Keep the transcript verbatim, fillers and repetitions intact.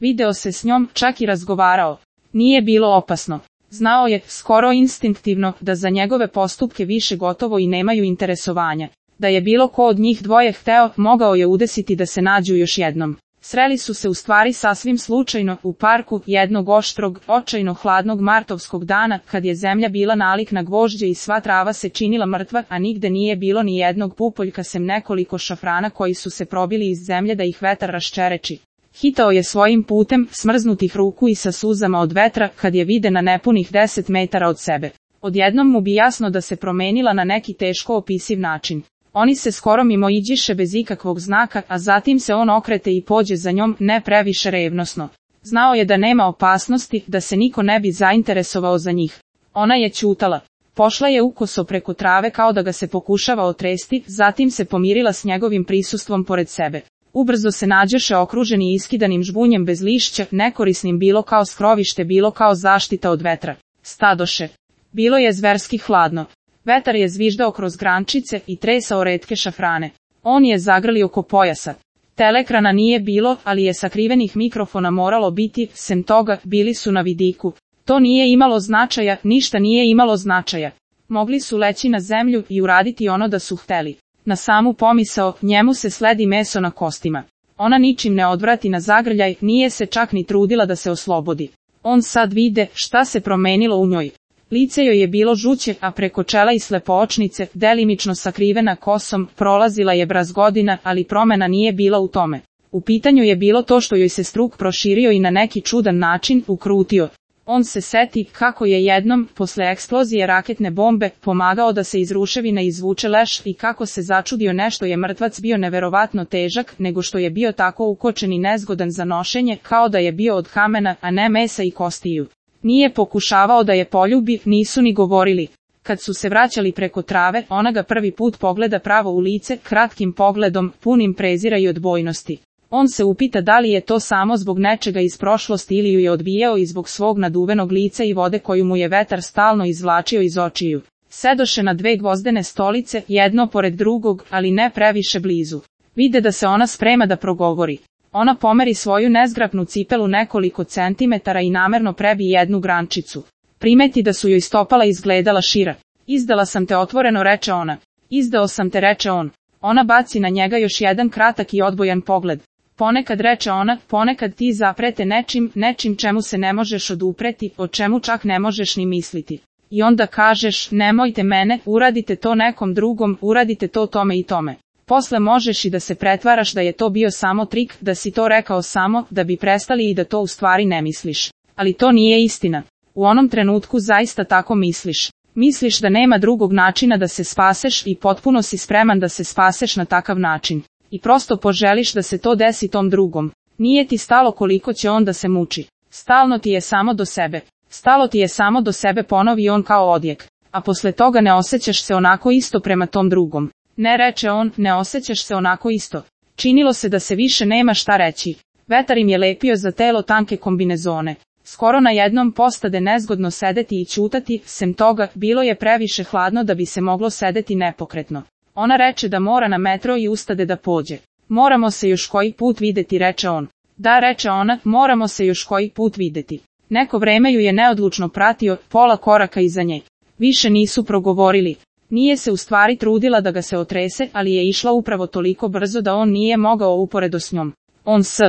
Video se s njom, čak i razgovarao. Nije bilo opasno. Znao je, skoro instinktivno, da za njegove postupke više gotovo i nemaju interesovanja. Da je bilo ko od njih dvoje hteo, mogao je udesiti da se nađu još jednom. Sreli su se u stvari sasvim slučajno, u parku, jednog oštrog, očajno hladnog martovskog dana, kad je zemlja bila nalik na gvožđe i sva trava se činila mrtva, a nigde nije bilo ni jednog pupoljka sem nekoliko šafrana koji su se probili iz zemlje da ih vetar raščereči. Hitao je svojim putem, smrznutih ruku i sa suzama od vetra, kad je vide na nepunih deset metara od sebe. Odjednom mu bi jasno da se promenila na neki teško opisiv način. Oni se skoro mimoiđiše bez ikakvog znaka, a zatim se on okrete i pođe za njom, ne previše revnosno. Znao je da nema opasnosti, da se niko ne bi zainteresovao za njih. Ona je ćutala. Pošla je ukoso preko trave kao da ga se pokušava otresti, zatim se pomirila s njegovim prisustvom pored sebe. Ubrzo se nađoše okruženi iskidanim žbunjem bez lišća, nekorisnim bilo kao skrovište, bilo kao zaštita od vetra. Stadoše. Bilo je zverski hladno. Vetar je zviždao kroz grančice i tresao retke šafrane. On je zagrlio oko pojasa. Telekrana nije bilo, ali je sakrivenih mikrofona moralo biti, sem toga, bili su na vidiku. To nije imalo značaja, ništa nije imalo značaja. Mogli su leći na zemlju i uraditi ono da su hteli. Na samu pomisao, njemu se sledi meso na kostima. Ona ničim ne odvrati na zagrljaj, nije se čak ni trudila da se oslobodi. On sad vide šta se promenilo u njoj. Lice joj je bilo žuće, a preko čela i slepoočnice, delimično sakrivena kosom, prolazila je brazgodina, ali promena nije bila u tome. U pitanju je bilo to što joj se struk proširio i na neki čudan način ukrutio. On se seti kako je jednom, posle eksplozije raketne bombe, pomagao da se iz ruševina izvuče leš i kako se začudio nešto je mrtvac bio neverovatno težak, nego što je bio tako ukočen i nezgodan za nošenje, kao da je bio od kamena, a ne mesa i kostiju. Nije pokušavao da je poljubi, nisu ni govorili. Kad su se vraćali preko trave, ona ga prvi put pogleda pravo u lice, kratkim pogledom, punim prezira i odbojnosti. On se upita da li je to samo zbog nečega iz prošlosti ili ju je odbijao i zbog svog naduvenog lica i vode koju mu je vetar stalno izvlačio iz očiju. Sedoše na dve gvozdene stolice, jedno pored drugog, ali ne previše blizu. Vide da se ona sprema da progovori. Ona pomeri svoju nezgrapnu cipelu nekoliko centimetara i namerno prebi jednu grančicu. Primeti da su joj stopala izgledala šira. Izdala sam te, otvoreno reče ona. Izdao sam te, reče on. Ona baci na njega još jedan kratak i odbojan pogled. Ponekad, reče ona, ponekad ti zaprete nečim, nečim čemu se ne možeš odupreti, o čemu čak ne možeš ni misliti. I onda kažeš, nemojte mene, uradite to nekom drugom, uradite to tome i tome. Posle možeš i da se pretvaraš da je to bio samo trik, da si to rekao samo, da bi prestali i da to u stvari ne misliš. Ali to nije istina. U onom trenutku zaista tako misliš. Misliš da nema drugog načina da se spaseš i potpuno si spreman da se spaseš na takav način. I prosto poželiš da se to desi tom drugom. Nije ti stalo koliko će on da se muči. Stalno ti je samo do sebe. Stalo ti je samo do sebe, ponovi on kao odjek. A posle toga ne osjećaš se onako isto prema tom drugom. Ne, reče on, ne osjećaš se onako isto. Činilo se da se više nema šta reći. Vetar im je lepio za telo tanke kombinezone. Skoro na jednom postade nezgodno sedeti i ćutati, sem toga, bilo je previše hladno da bi se moglo sedeti nepokretno. Ona reče da mora na metro i ustade da pođe. Moramo se još koji put videti, reče on. Da, reče ona, moramo se još koji put videti. Neko vreme ju je neodlučno pratio, pola koraka iza nje. Više nisu progovorili. Nije se u stvari trudila da ga se otrese, ali je išla upravo toliko brzo da on nije mogao uporedo s njom. On s